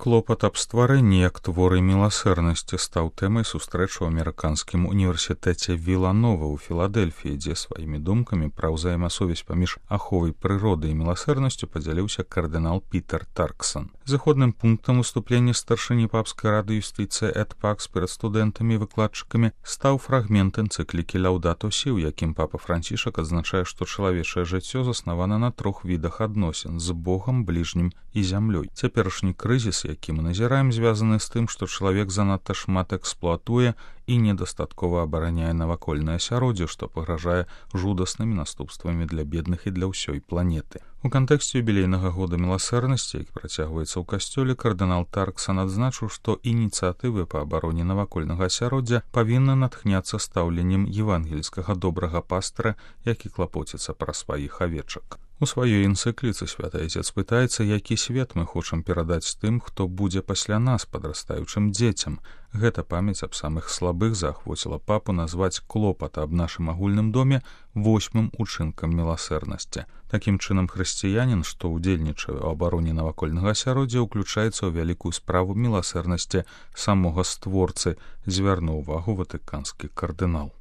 Клопат аб стварэнні як творы міласэрнасці стаў тэмай сустрэчы ў амерыканскім універсітэце Віланова ў Філадэльфіі, дзе сваімі думкамі пра ўзаемасувязь паміж аховай прыроды і міласэрнасцю падзяліўся кардынал Пітер Тарксан. Зыходным пунктам выступлення старшыні папскай рады юстыцыі Эд Пакс перад студэнтамі і выкладчыкамі стаў фрагмент энцыклікі Лаўдато Сі, у якім папа Францішак адзначае, што чалавечае жыццё заснавана на 3 відах адносін з Богам, бліжнім і зямлёй. Цяперашні крызіс, які мы назіраем, звязаны з тым, што чалавек занадта шмат эксплуатуе і недастаткова абараняе навакольнае асяроддзе, што пагражае жудаснымі наступствамі для бедных і для ўсёй планеты. У кантэксце юбілейнага года міласэрнасці, які працягваецца ў касцёле, кардынал Тарксан адзначыў, што ініцыятывы па абароне навакольнага асяроддзя павінны натхняцца стаўленнем евангельскага добрага пастара, які клапоціцца пра сваіх авечак. У сваёй энцыкліцы святы Айцец пытаецца, які свет мы хочам перадаць тым, хто будзе пасля нас, падрастаючым дзецям. Гэта памяць аб самых слабых заахвоціла папу назваць клопат аб нашым агульным доме 8-м учынкам міласэрнасці. Такім чынам, хрысціянін, што ўдзельнічае ў абароне навакольнага асяроддзя, уключаецца ў вялікую справу міласэрнасці самога створцы, звярнуў увагу ватыканскі кардынал.